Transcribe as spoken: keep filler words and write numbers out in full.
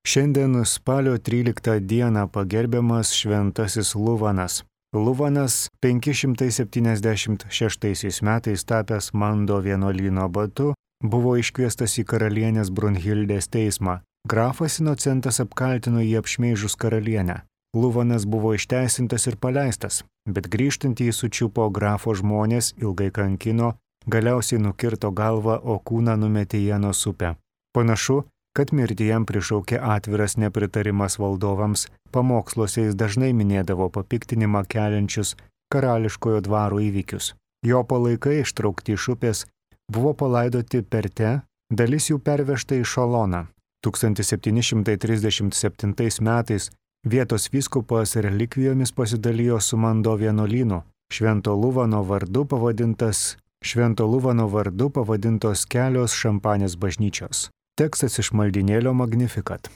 Šiandien spalio tryliktą dieną pagerbiamas šventasis Luvanas. Luvanas penki šimtai septyniasdešimt šeštaisiais metais tapęs Mando vienuolyno abatu buvo iškviestas į karalienės Brunhildės teismą. Grafas Inocentas apkaltino jį apšmeižus karalienę. Luvanas buvo išteisintas ir paleistas, bet grįžtant jį sučiupo grafo žmonės, ilgai kankino, galiausiai nukirto galvą, o kūną numetė į Jenos upę. Panašu, kad mirtį jam prišaukė atviras nepritarimas valdovams, pamoksluose jis dažnai minėdavo papiktinimą keliančius karališkojo dvaro įvykius. Jo palaikai ištraukti iš upės buvo palaidoti Perte, dalis jų pervežta į Šaloną. tūkstantis septyni šimtai trisdešimt septintais metais vietos vyskupas relikvijomis pasidalijo su Mando vienuolynu. Švento Luvano vardu pavadintas Švento Luvano vardu pavadintos kelios Šampanės bažnyčios. Tekstas iš maldynėlio Magnificat.